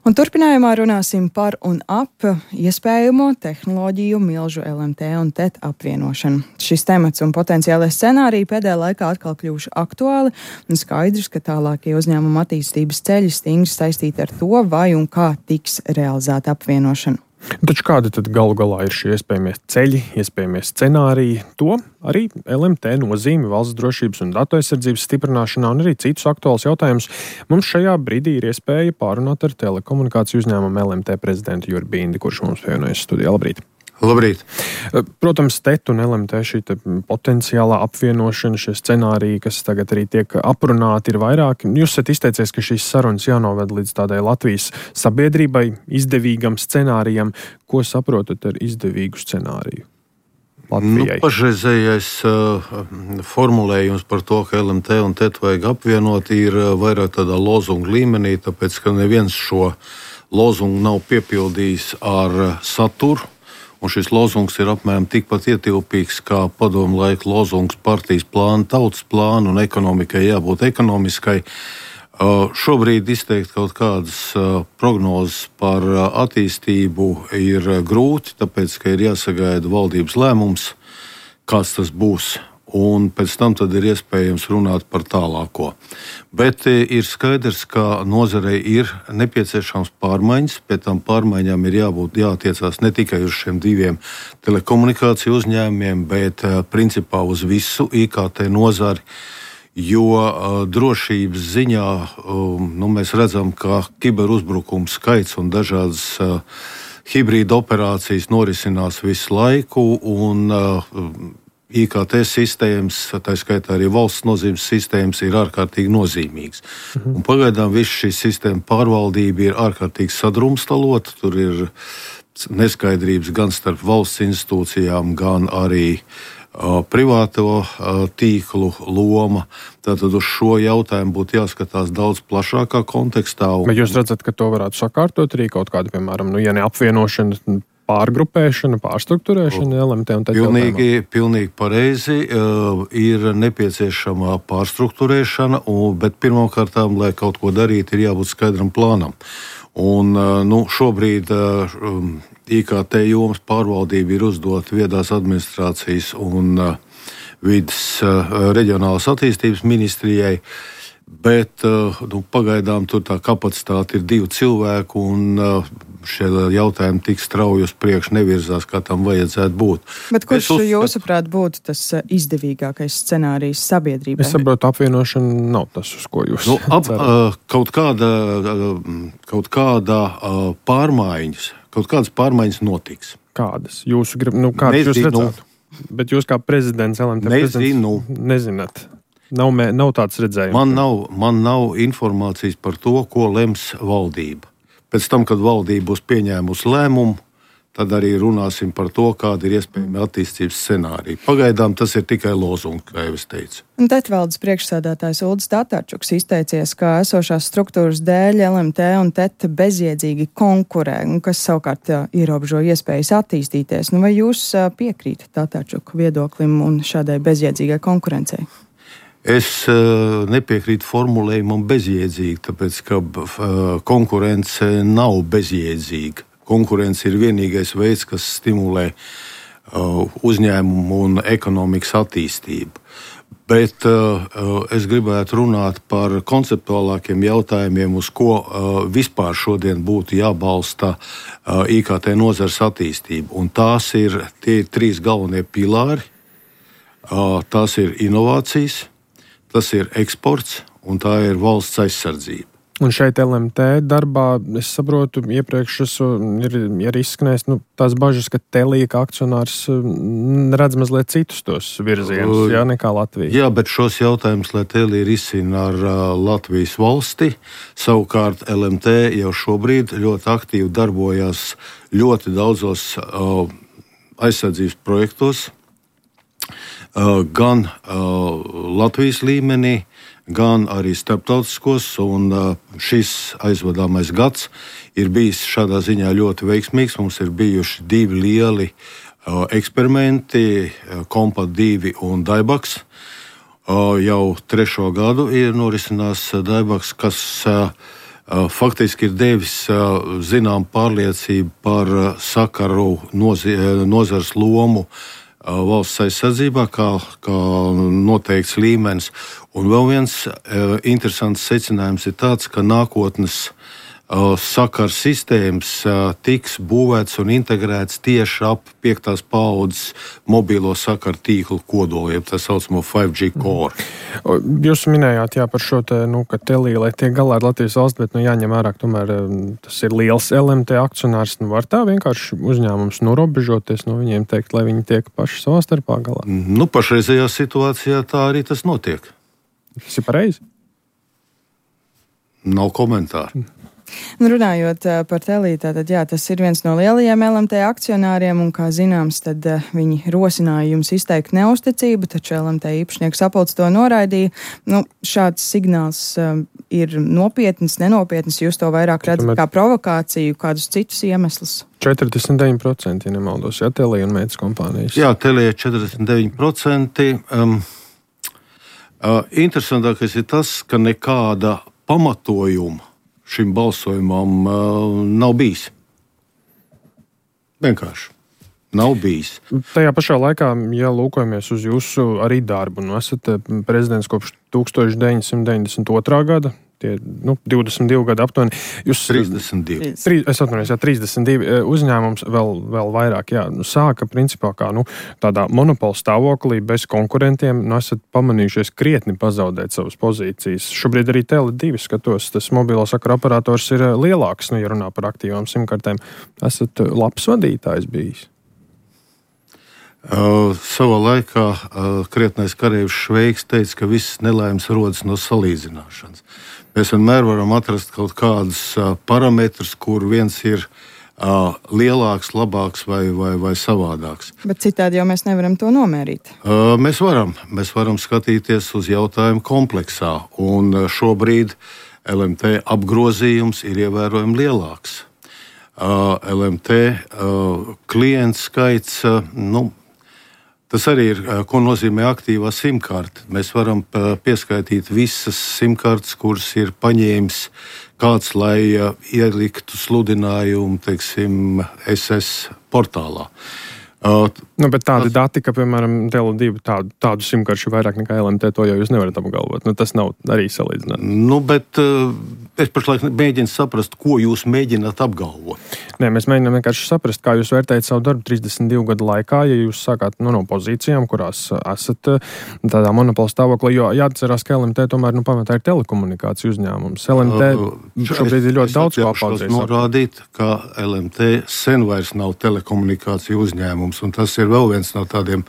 Un turpinājumā runāsim par un ap iespējamo tehnoloģiju milžu LMT un TET apvienošanu. Šis temats un potenciālais scenāriji pēdējā laikā atkal kļuvuši aktuāli, un skaidrs, ka tālākie uzņēmuma attīstības ceļi stingri saistīti ar to, vai un kā tiks realizēta apvienošana. Taču kādi tad galu galā ir šie iespējamie ceļi, iespējamie scenāriji? To arī LMT nozīme valsts drošības un datu aizsardzības stiprināšanā un arī citus aktuālus jautājumus mums šajā brīdī ir iespēja pārunāt ar telekomunikāciju uzņēmumu LMT prezidentu Juri Bindi, kurš mums pievienojas studijā. Labrīt! Labrīt! Protams, TET un LMT šī potenciālā apvienošana, šie scenāriji, kas tagad arī tiek aprunāti, ir vairāki. Jūs esat izteicies, ka šīs sarunas jānoved līdz tādai Latvijas sabiedrībai izdevīgam scenārijam. Ko saprotat ar izdevīgu scenāriju Latvijai? Pašreizējais formulējums par to, ka LMT un TET vajag apvienot, ir vairāk tādā lozunga līmenī, tāpēc, ka neviens šo lozungu nav piepildījis ar saturu. Un šis lozungs ir apmēram tikpat ietilpīgs kā padomu laika lozungs partijas plāna, tautas plāna un ekonomikai jābūt ekonomiskai. Šobrīd izteikt kaut kādas prognozes par attīstību ir grūti, tāpēc, ka ir jāsagaida valdības lēmums, kāds tas būs. Un pēc tam tad ir iespējams runāt par tālāko. Bet ir skaidrs, ka nozarei ir nepieciešams pārmaiņas, pēc tam pārmaiņām ir jātiecās ne tikai uz šiem diviem telekomunikāciju uzņēmumiem, bet principā uz visu IKT nozari, jo drošības ziņā mēs redzam, ka kiberuzbrukumu skaits un dažādas hibrīda operācijas norisinās visu laiku, un IKT sistēmas, tā skaitā arī valsts nozīmes sistēmas, ir ārkārtīgi nozīmīgas. Un pagaidām viss šī sistēma pārvaldība ir ārkārtīgi sadrumstalota. Tur ir neskaidrības gan starp valsts institūcijām, gan arī privāto tīklu loma. Tātad uz šo jautājumu būtu jāskatās daudz plašākā kontekstā. Bet jūs redzat, ka to varētu sakārtot arī kaut kāda, piemēram, ja ne apvienošana, pārgrupēšana, pārstruktūrēšana, LMT un TET jautājumā? Pilnīgi pareizi. Ir nepieciešama pārstruktūrēšana, bet pirmkārtām, lai kaut ko darītu, ir jābūt skaidram plānam. Un šobrīd IKT jomas pārvaldība ir uzdota viedās administrācijas un vides reģionālās attīstības ministrijai. Bet pagaidām tur tā kapacitāte ir 2 cilvēku, un šie jautājumi tik strauji uz priekšu nevirzās, kā tam vajadzētu būt. Bet kurš jūsuprāt būtu tas izdevīgākais scenārijs sabiedrībai? Es saprotu, apvienošana nav tas, uz ko jūs kaut kādas pārmaiņas notiks. Kādas? Jūs redzētu? Bet jūs kā prezidents LMT nezināt. Nav tāds redzējums. Man nav informācijas par to, ko lems valdība. Pēc tam, kad valdība būs pieņēmusi lēmumu, tad arī runāsim par to, kāda ir iespējama attīstības scenārija. Pagaidām tas ir tikai lozungs, kā jau es teicu. Un TET valdes priekšsēdētājs Uldis Tatarčuks izteicies, ka esošās struktūras dēļ LMT un TET bezjēdzīgi konkurē, kas savukārt ierobežo iespējas attīstīties. Vai jūs piekrītat Tatarčuka viedoklim un šādai bezjēdzīgai konkurencei? Es nepiekrītu formulējumam bezjēdzīgi, tāpēc, ka konkurence nav bezjēdzīga. Konkurence ir vienīgais veids, kas stimulē uzņēmumu un ekonomikas attīstību. Bet es gribētu runāt par konceptuālākiem jautājumiem, uz ko vispār šodien būtu jābalsta IKT nozares attīstība. Un tie ir 3 galvenie pilāri. Tās ir inovācijas, tas ir eksports un tā ir valsts aizsardzība. Un šeit LMT darbā, es saprotu, iepriekš ir izskanējis tās bažas, ka Telia kā akcionārs redz mazliet citus tos virzienus, nekā Latvija. Jā, bet šos jautājumus, lai Telia risina ar Latvijas valsti, savukārt LMT jau šobrīd ļoti aktīvi darbojās ļoti daudzos aizsardzības projektos, gan Latvijas līmenī, gan arī starptautiskos, un šis aizvadāmais gads ir bijis šādā ziņā ļoti veiksmīgs. Mums ir bijuši 2 lieli eksperimenti, Kompat 2 un Daibaks. Jau 3. gadu ir norisinās Daibaks, kas faktiski ir devis zinām pārliecību par sakaru nozares lomu valsts aizsardzībā, kā noteikts līmenis. Un vēl viens interesants secinājums ir tāds, ka nākotnes sakaru sistēmas tiks būvēts un integrēts tieši ap 5. paaudzes mobilo sakaru tīklu kodolu, jeb tā saucamo 5G core. Jūs minējāt par šo te, ka Telija, lai tiek galā ar Latvijas valsts, bet jāņem vērā, tomēr tas ir liels LMT akcionārs. Var tā vienkārši uzņēmums norobežoties no viņiem teikt, lai viņi tiek paši savā starpā galā? Pašreizējā situācijā tā arī tas notiek. Tas ir pareizi? Nav komentāru. Runājot par Teliju, tātad tas ir viens no lielajiem LMT akcionāriem, un, kā zināms, tad viņi rosināja jums izteikt neusticību, taču LMT īpašnieku sapulce to noraidīja. Šāds signāls ir nopietns, nenopietns, jūs to vairāk redzat kā provokāciju, kādus citus iemeslus? 49%, ja nemaldos, Telija un meitas kompānijas. Jā, Telija 49%. Interesantākais ir tas, ka nekāda pamatojuma šim balsojumam nav bijis. Vienkārši nav bijis. Tajā pašā laikā, ja lūkojamies uz jūsu arī darbu, esat prezidents kopš 1992. gada, tie 22 gadi aptuveni. 32. Es atvainojos, 32 uzņēmums vēl vairāk, sāka principā kā tādā monopola stāvoklī bez konkurentiem, esat pamanījušies krietni pazaudēt savas pozīcijas. Šobrīd arī Tele2 skatos, tas mobilo sakaru operators ir lielāks, ja runā par aktīvām simkartēm. Esat labs vadītājs bijis? Savā laikā krietnais kareivs Šveiks teica, ka visas nelaimes rodas no salīdzināšanas. Mēs vienmēr varam atrast kaut kādus parametrus, kur viens ir lielāks, labāks vai savādāks. Bet citādi jau mēs nevaram to nomērīt. Mēs varam skatīties uz jautājumu kompleksā, un šobrīd LMT apgrozījums ir ievērojami lielāks. LMT klientu skaits, tas arī ir, ko nozīmē aktīvā simkarte. Mēs varam pieskaitīt visas simkartes, kuras ir paņēmis kāds, lai ieliktu sludinājumu, SS portālā. Bet tādi dati, ka, piemēram, Tele2 tādu simkaršu vairāk nekā LMT, to jau jūs nevarat apgalvot. Tas nav arī salīdzinājums. Bet es pašlaik mēģinu saprast, ko jūs mēģināt apgalvot. Nē, mēs mēģinām vienkārši saprast, kā jūs vērtējat savu darbu 32 gadu laikā, ja jūs sākāt no pozīcijām, kurās esat tādā monopola stāvoklī, jo jāatcerās, ka LMT tomēr pamatā ir telekomunikāciju uzņēmums. LMT šobrīd ir ļoti daudz ko apaudzējis. Norādīt, ka LMT sen vairs nav telekomunikāciju uzņēmums, un tas ir vēl viens no tādiem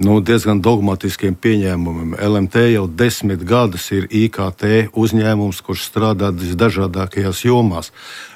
diezgan dogmatiskiem pieņēmumiem. LMT jau 10 gadus ir IKT uzņēmums, kurš strādā visdažādākajās jomās.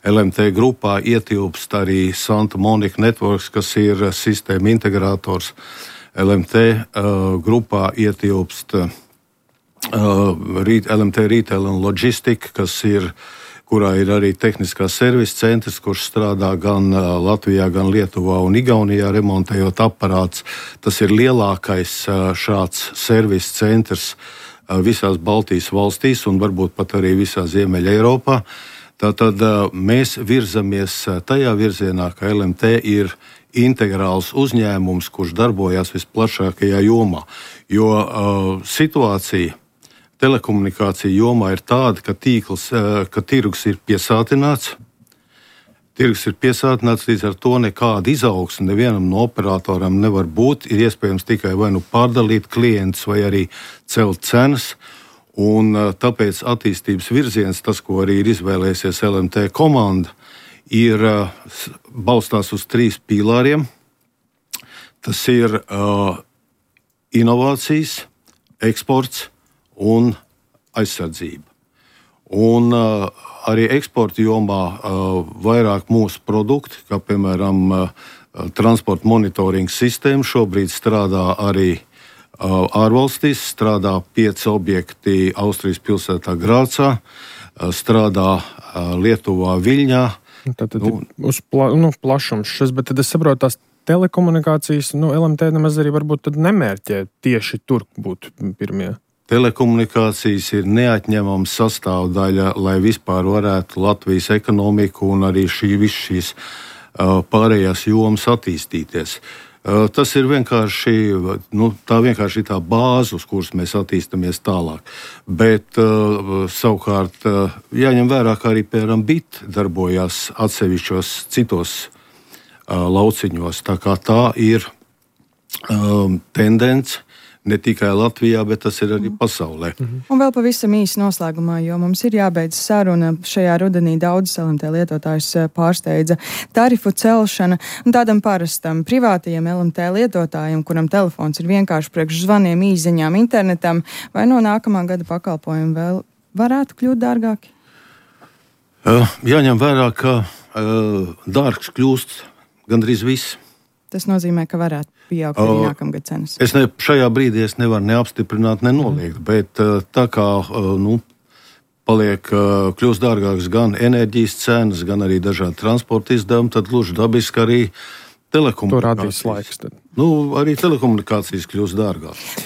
LMT grupā ietilpst arī Santa Monica Networks, kas ir sistēma integrātors. LMT grupā ietilpst LMT Retail and Logistic, kurā ir arī tehniskā servisa centrs, kurš strādā gan Latvijā, gan Lietuvā un Igaunijā, remontējot aparātus. Tas ir lielākais šāds servisa centrs visās Baltijas valstīs un varbūt pat arī visā Ziemeļa Eiropā. Tātad mēs virzamies tajā virzienā, ka LMT ir integrāls uzņēmums, kurš darbojās visplašākajā jomā. Jo situācija telekomunikācija jomā ir tāda, ka tirgus ir piesātināts. Tirgus ir piesātināts, līdz ar to nekāda izaugsme nevienam no operatoriem nevar būt. Ir iespējams tikai vai pārdalīt klientus, vai arī celt cenas. Un tāpēc attīstības virziens, tas, ko arī ir izvēlējusies LMT komanda, ir balstās uz 3 pīlāriem. Tas ir inovācijas, eksports un aizsardzība. Un arī eksporta jomā vairāk mūsu produkti, kā piemēram transporta monitoringa sistēma, šobrīd strādā arī ārvalstīs, strādā 5 objekti Austrijas pilsētā Grācā, strādā Lietuvā Viļņā. Tātad uz plašums šis, bet tad es saprotu, tās telekomunikācijas, LMT nemaz arī varbūt tad nemērķē tieši tur būt pirmie. telekomunikācijas ir neatņemama sastāvdaļa, lai vispār varētu Latvijas ekonomiku un arī šīs pārējās jomas attīstīties. Tas ir vienkārši, vienkārši tā bāze, uz kuras mēs attīstamies tālāk. Bet savukārt jāņem vērā, ka arī, piemēram, BIT darbojās atsevišķos citos lauciņos. Tā kā tā ir tendence ne tikai Latvijā, bet tas ir arī pasaulē. Un vēl pavisam īsi noslēgumā, jo mums ir jābeidz saruna. Šajā rudenī daudz LMT lietotājus pārsteidza tarifu celšana. Un tādam parastam privātajam LMT lietotājam, kuram telefons ir vienkārši priekš zvaniem, īziņām, internetam, vai no nākamā gada pakalpojumi vēl varētu kļūt dārgāki? Jāņem vērā, ka dārgs kļūst gandrīz viss. Tas nozīmē, ka varētu pieaugt arī nākamgad cenas. Šajā brīdī es nevaru neapstiprināt, nenoliegt, bet tā kā kļūst dārgāks gan enerģijas cenas, gan arī dažādi transporta izdevumi, tad gluži dabiski arī telekomunikācijas. To radīs laiks tad. Arī telekomunikācijas kļūst dārgāk.